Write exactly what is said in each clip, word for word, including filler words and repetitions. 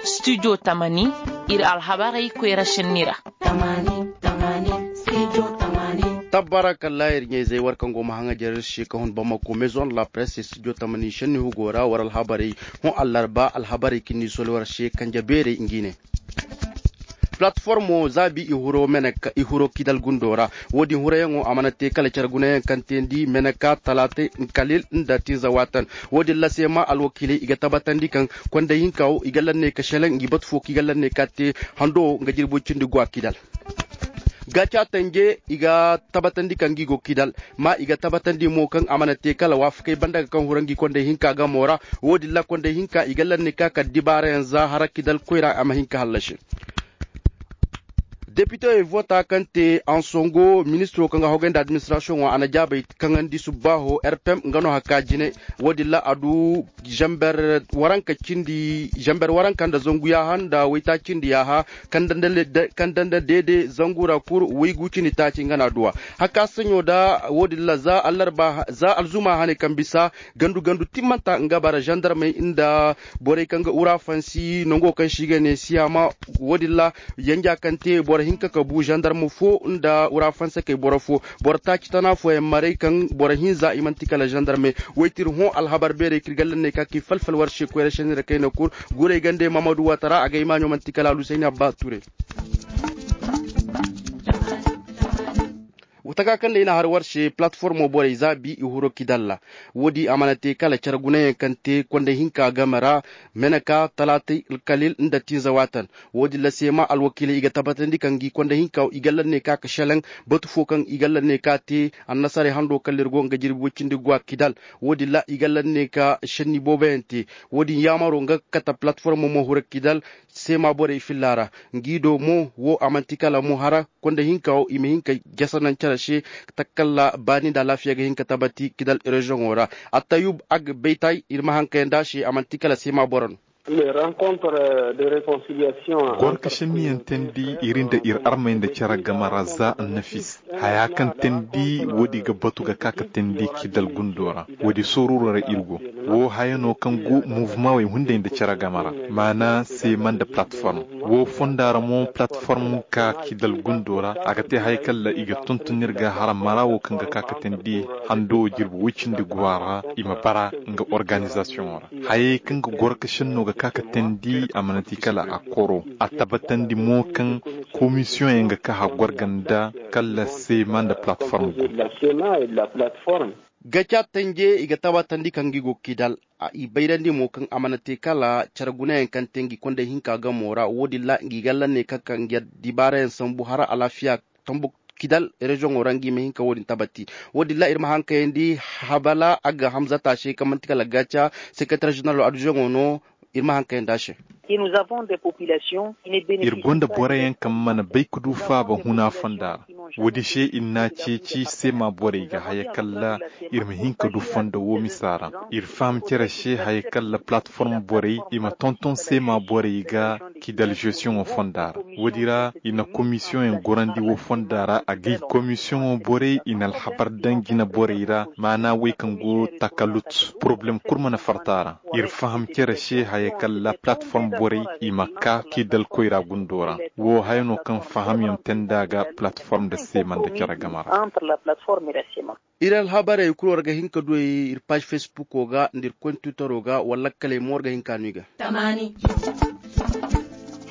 Studio tamani, ir alhabarey koyra šenni ra. Tabbarakalla ir ɲayzey war kaŋ go ma haŋajer se ka hun bamako maison de la presse studio tamani šenni hugo ra war alhabarey. Hõ allarba alhabarey kaŋ ni soli war se kanje beerey ngi ne. Platformo zaabi i huro kidal gundo ra. Wo-din hurayaŋo a mana te kala care gunayaŋ kaŋ teendi meneka talaatay, kalil nda tinza waatan. Wo-din ra seema alwakiiley i ga tabatandi kaŋ konday hinka wo i ga lanney ka šelaŋ ngi batu fo kaŋ i ga lanney ka te hando wo nga jirbi way cindi go a kidal. Gaaca tanje i ga tabatandi kaŋ ngi go kidal. Ma i ga tabatandi mo kaŋ a mana te kala waafakey banda ga kaŋ hura ngi konday hinka gamo ra. Wo-din ra konday hinka i ga lanney ka kala dibaarayaŋ za hara kidal koyra a ma hin ka hallasi. Depitewey voota kaŋ te ansongo ministiro kaŋ ga hogay nda administrasiyoŋo a na jaabey kaŋandi subbaaho rpm nga no hakka jine. Wo-din ra a du zanber waranka nda zangu yaaha nda waytaaci nda yaaha kaŋ danda deede zangu ra kul waygu cindi taaci nga no a duw'a. Hakka saɲo da wo-din ra za alzuma hane kaŋ bisa gandu gandu timmanta nga bara zandarmey nda borey kaŋ ga urafansi nango kaŋ se i ga ne siyaama. Wo-din ra yanja kaŋ te boro hinka ka bu zandarma fo nda urafansakey boro fo boro taaci tana fooyaŋ maray kaŋ boro hinza i man'ti kala zandarmey. Waytir hõ alhabar beerey kaŋ ir ga lanney ka k'i falfal war se koyra senni ra kayna kul. Guray gande mamadu waatara a ga imaaɲo man'ti kala alusayni abba ture. Taka kaŋ nda i na har war se palatformo borey zaabi i huro kidal ra. Wo-din a mana te kala care gunayaŋ kaŋ te konday hinka game ra meneka talaatay, alkalil nda tinza waatan. Wo-din ra seema alwakiiley i ga tabatandi kaŋ ngi konday hinka i ga lanney ka ka šelaŋ batu fo kaŋ i ga lanney ka te annasaray hando kala ir go nga jirbi way cindi go a kidal. Wo-din ra i ga lanney ka šenni booboyaŋ te. Wo-din yaamaro nga ga kate palatformo mo huro kidal seema borey filla ra. Ngi do mo wo a man'ti kala mo hara konda hinka wo i ma hin ka jasa naŋ care se. Takalla baani nda alaafiya ga hin ka tabati kidal reziyoŋo ra. Attayub ag baytay ir ma haŋ kayandi a se a man'ti kala seema boro no. Gorka šenniyaŋ teendi ir nda ir armey nda care game ra za annafis. Haya kaŋ teendi woodi ga batu ga ka ka teendi kidal gundo ra. Woodi sooruro ra ir go. Wo haya no kaŋ go muvumawey hunday nda care game ra. Maana seema nda palatform. Wo fonda ra mo palatform ka kidal gundo ra a ga te haya kaŋ ra i ga tuntun ir ga hara mara wo kaŋ ga ka ka teendi hando jirbi woy cindi guwa ra i ma bara nga organizasiyoŋo ra. Hayey kaŋ ga goro ka senno ga ka ka teendi a mana ti kala a koro. A tabatandi mo kaŋ komisiyoŋ yaŋ ga ka haggorga nda kalla seema nda palatform go. Gaca tanje i ga tabatandi kaŋ gi go kidal. I bayrandi mo kaŋ a mana te kala care gunayaŋ kaŋ te ngi konday hinka gamo ra wo-din ra ngi galla ne kaŋ ka ngi dibaarayaŋ sambu hara alaafiya tambu kidal reziyoŋo ra ngi ma hin ka wo-din tabati. Wo-din ra ir ma haŋ kayandi habala a ga hamzata se kaŋ manti kala gaca sekeretar ženeral adiziyoŋo no. Ir ma haŋ kayandi a se. Ir gonda boroyaŋ kaŋ mana bay ka du faaba huna fonda ra. Woodi se ir n'a ceeci seema borey ga haya kalla ir ma hin ka du fondo wo misa ra. Ir faham cere se haya kalla palatform borey i ma tonton seema borey ga kidal žesiyoŋo fonda ra. Woodi ra i na komisiyoŋ yaŋ gorandi wo fonda ra a gay komisiyoŋo borey i na alhabar daŋ jina borey ra maana wey kaŋ go takalut poroblem kul mana farta ra. Ir faham cere se haya kalla palatform borey i ma ka kidal koyra gundo ra. Wo haya no kaŋ fahamyaŋ te nd'a ga palatform nda seema nda cere game ra. Ir alhabarey kul war ga hin ka du ay ir paaž fesbuko ga nda ir kontitaro ga wala lakkaley mo war ga hin ka no i ga.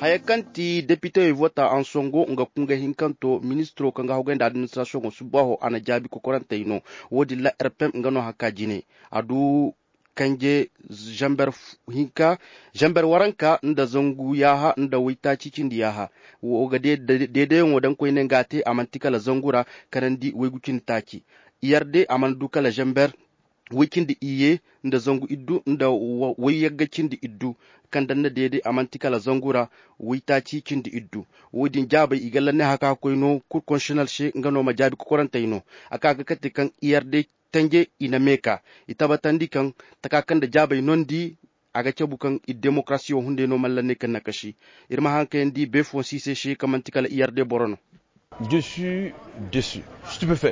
Haya kaŋ ti depitewey vota ansongo nga kunga hinkanto ministiro kaŋ ga hogay nda administirasiyoŋo subbaaho a na jaabi kokorantey no. Wo-din ra rpm nga no haka jine a du kanje zanber hinka zanber waranka nda zangu yaaha nda waytaaci cindi yaaha. Wo ga deedeyaŋo daŋ koyne nga a te a man'ti kala zangu ra kanandi waygu cindi taaci. Iyar de a mana du kala zanber way cindi iyye nda zangu iddu nda way yagga cindi iddu. Kaŋ daŋ na deede a man'ti kala zangu ra waytaaci cindi iddu. Wo-din jaabey i galla ne haka koy no kul konsitinal se nga no ma jaabi kokorantey no. A ka ga kate kaŋ iyar de tanje i na meeka i tabatandi kaŋ taka kaŋ nda jaabey nondi a ga cabu kaŋ ir demokarasiyo hunday no malla ne kaŋ na kasi. Ir ma haŋ kayandi beefoŋ siisey se kaŋ man'ti kala iyar de boro no.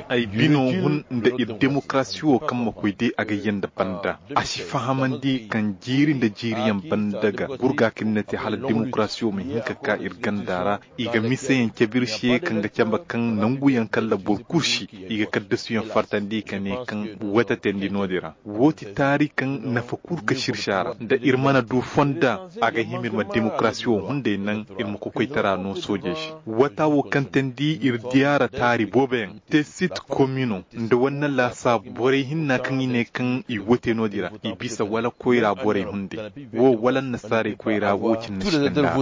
Ay bino hun nda ir demokarasi wo kaŋ ma koy day a ga yee nda banda. A si fahamandi kaŋ jiiri nda jiiriyaŋ banda ga gurga kaŋ ni na te hala demokarasi wo ma hin ka ka ir ganda ra. I ga miseyaŋ cabe ir se kaŋ ga camba kaŋ nanguyaŋ kalla boro kul si i ga kaddasuyaŋ fartandi ka ne kaŋ wata teendi no-din ra. Wo ti taari kaŋ nafa kul ka sirsi a ra nda ir mana du fonda. A ga hima ir ma demokarasi wo hunday naŋ ir ma kokoytara no soojey se. Wata wo kaŋ teendi ir diyaara taari booboyaŋ te sit komino nda wanne laasaabu borey hinna kaŋ i ne kaŋ i wote no-din ra i bisa wala koyra borey hunday wo wala annasaarey koyra wo cine na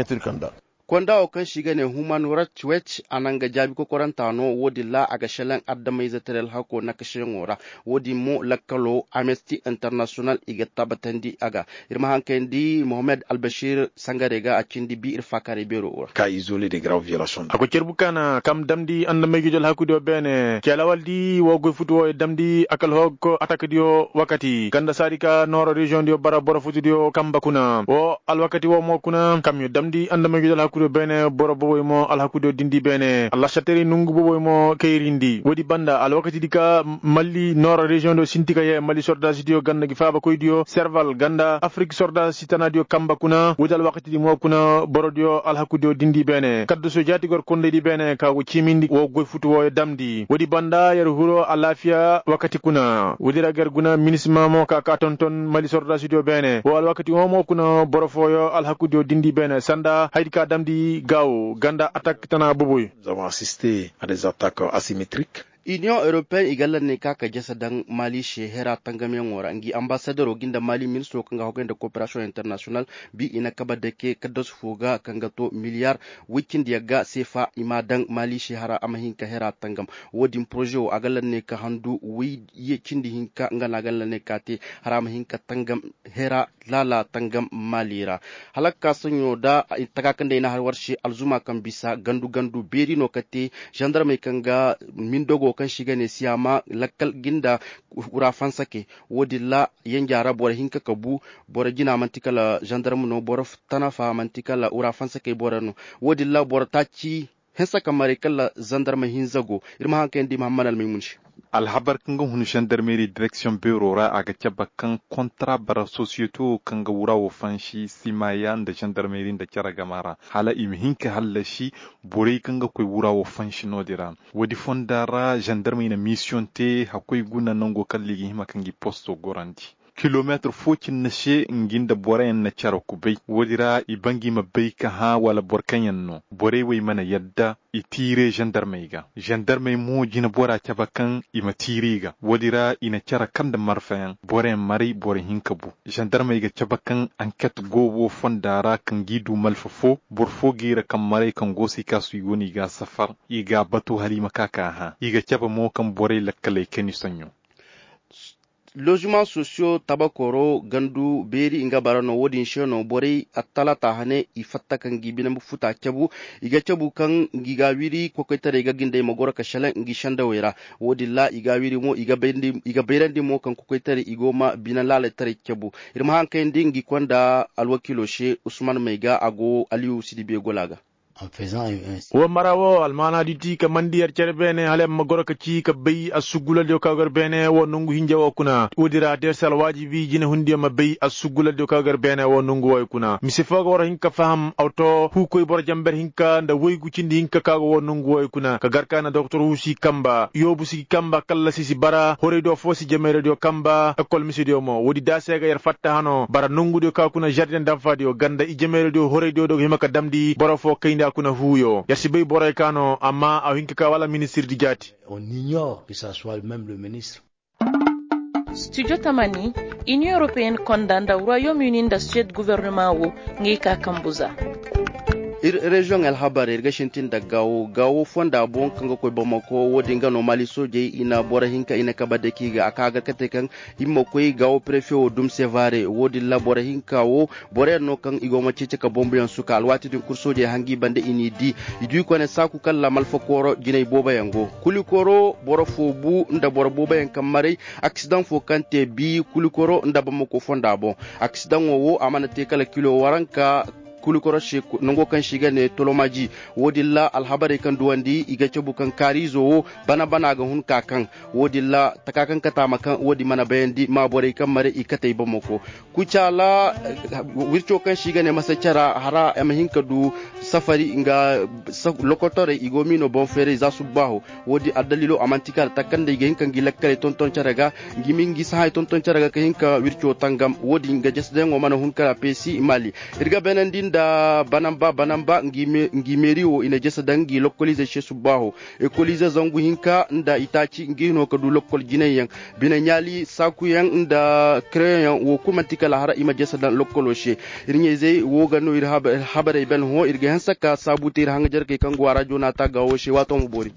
si kanda. Konda wo kaŋ se i ga ne human rights watch a na nga jaabi kokoranta no wo-din ra a ga šelaŋ adamayze taray alhako nakasiyaŋo ra. Wo-din mo lakkalo amnesty international i ga tabbatandi a ga. Ir ma haŋ kayandi mohammed albashir sangarey ga a cindi bi ir faakaaray beero ra. A goy cerbu kaana kaŋ damndi andamey ga ije alhakudiyo beene ci alawaldi wo goy futu wo damndi akalhok atakdiyo wakati ganda saadi ka nooro reziyoŋdiyo bara boro futudiyo kamba kuna wo alwakati wo mo kuna kamyo damndi andamey ga ije alhakudiyo beene boro boboy mo alhakudiyo dindi beene allasataray nongu boboy mo kayrindi woodi banda alwakatidi ka malli nooro reziyoŋdiyo sinti ka yee malli sordaasidiyo ganda ngi faabakoydiyo serval ganda afrik sordaasi tanaadiyo kamba kuna woodi alwakatidi mo kuna borodiyo alhakudiyo dindi beene kaddaso jaati gor kondaydi beene ka go ciimindi wo goy futu wooyo damndi woodi banda yer hiro alaafiya wakati kuna woodi ra ga yer guna minisima mo ka ka tonton mali sordaasidiyo beene wo alwakati wo mo kuna boro fooyo alhakudiyo dindi beene sanda haydi ka damndi gaawo ganda atak tana boboy. Union europeen i ga lanney ka ka jasa daŋ mali se hera tangamyaŋo ra ngi ambasadero gi nda mali ministiro kaŋ ga hogay nda koperasiyoŋ internasiyonal bi i na kaba dake kaddasu fo ga kaŋ ga to miliyar woy cindi yagga seefa i m'a daŋ mali se hara a ma hin ka hera tangam. Wo-din poroze wo a ga lanney ka handu woy cindi hinka nga no a ga lanney ka te hara a ma hin ka tangam hera laala tangam mali ra. Hala ka ka saɲɲo nda taka kaŋ day na har war se alzuma kaŋ bisa gandu gandu beeri no ka te zandarmey kaŋ ga mindogo kaŋ se i ga ne siyaama lakkal gi nda wura fansakey. Wo-din ra yanja ra boro hinka ka bu boro jina manti kala zandarm no boro tanafa manti kala wura fansakey boro no. Wo-din ra boro taaci hinsa ka maray kala zandarma hinza go. Ir ma haŋ kayandi mahammad almaymun se. Alhabar kaŋ ga hun zandarmeri direksiyoŋ beero ra a ga cabe kaŋ kontra bara sosiyeto kaŋ ga wura wo fansi simaya nda zandarmeri nda cere gama ra hala i ma hin ka hallasi borey kaŋ ga koy wura wo fansi no-din ra. Woodi fonda ra zandarmey na misiyoŋ te hakkoy guna nango kala i ga hima ka ngi posto gorandi kilometir fo cine se ngi nda boroyaŋ na cere kubay woodi ra i ba ngi ma bay ka hã wala boro kaŋ yaŋ no borey wey mana yadda i tiire zandarmey ga. Zandarmey mo jinebora cabe kaŋ i ma tiiri ga woodi ra i na cere kaŋ nda marfayaŋ boroyaŋ maray boro hinka bu. Zandarmey ga cabe kaŋ anket go wo fonda ra kaŋ g'i du malfa fo boro fo g'i ra kaŋ maray kaŋ go se i kaasu i go no i g'a safar i g'a batu hala i ma ka k'a hã i ga cabe mo kaŋ borey lakkaley kani soɲõ. Lozumaŋ sosiyo tabakoro gandu beeri nga bara no wo-din se no borey attalaata hane i fatta ka ngi bine futa cabu. I ga cabu kaŋ ngi ga wiri kokoytaray ga gindey ma goro ka selaŋ ngi sendawey ra. Wo-din ra i ga wiri mo i ga bayrandi mo kaŋ kokoytaray i go ma bine laalaytaray cabu. Ir ma haŋ kayandi ngi konda alwakiilo se usman may ga a go aliyu sidibe gola ga. Wo mara wo almaanaadi ti ka mandi yer cere beene hala yer ma goro ka ci ka bay assugulaldiyo ka go yer beene wo nongu hinja wo kuna woodi ra da yer si alwaajibi jinehundiyo ma bay assugulaldiyo ka go yer beene wo nongu wooyo kuna mise fo ga war hin ka faham awto huukoy boro jamber hinka nda woygu cindi hinka ka go wo nongu wooyo kuna ka gar ka na doktor huusi kamba yoobu si gi kamba kallasi si bara horaydiyo fo si jameeraydiyo kamba ekol misediyo mo woodi da se ga yer fatta hano bara nongudiyo ka kuna zardiyaŋ danfaadiyo ganda i jameeraydiyo horaydiyo do ga hima ka damndi boro fo kayndi a kuna huuyo yer si bay boroyo ka no amma a hin ka ka wala ministirdi jaati. Studio tamani, inion europeen konda nda royaume uni nda suwed guvernema wo ngey ka kambu za. Ir reziyoŋ alhabar ir ga sintin nda gaawo gaawo fonda boŋ kaŋ ga koy bamako wo-din ga no maali soojey i na boro hinka i na kabe dake i ga a ka gar ka te kaŋ i ma koy gaawo prefe wo dum sevare wo-din ra boro hinka wo boroyaŋ no kaŋ i go ma ceeci ka bombuyaŋ suka alwaati din kul soojey hangi bande i n'i di. I du i kone saaku kaŋ ra malfa kooro jinay booboyaŋ go kuli kooro boro fo bu nda boro booboyaŋ kaŋ maray. Aksidaŋ fo kaŋ te bi kuli kooro nda bamako fonda boŋ. Aksidaŋo wo a mana te kala kilo waranka. Kulu koroše nango kaŋ se i ga ne tolomaji. Wo- din ra alhabarey kaŋ duwandi i ga cabu kaŋ kaariizo wo bana bana ga hun ka kaŋ. Wo- din ra taka kaŋ kate a ma kaŋ wo- din mana bayandi ma borey kaŋ mare i kate i bomoko. Kucaala wirco kaŋ se i ga ne masacara hara a ma hin ka du safari nga lokotorey i go miino boŋ feeray za subbaaho. Wo- din addaliilo a man'ti kala takanda i ga hin ka ngi lakkaley tonton care ga. Ngi ma ngi sahay tonton care ga ka hin ka wirco tangam wo- din nga jasadayaŋo mana hun kala peesi maali. Ir ga beenandi nda banamba banamba ngi meeri wo i na jasadaŋ ngi lokkoliizey se subbaaho. Ekoliize zangu hinka nda itaaci ngi hino ka du lokkol jinayyaŋ bine ɲaali saakuyaŋ nda kereyoŋ wo kul man'ti kala hara i ma jasadaŋ lokkolo se. Ir ɲayzey wo ga no ir habarey ben hõ ir ga hanse ka saabu te ir haŋajarkey kaŋ go a ra joonaata ga wo se waato ma boori.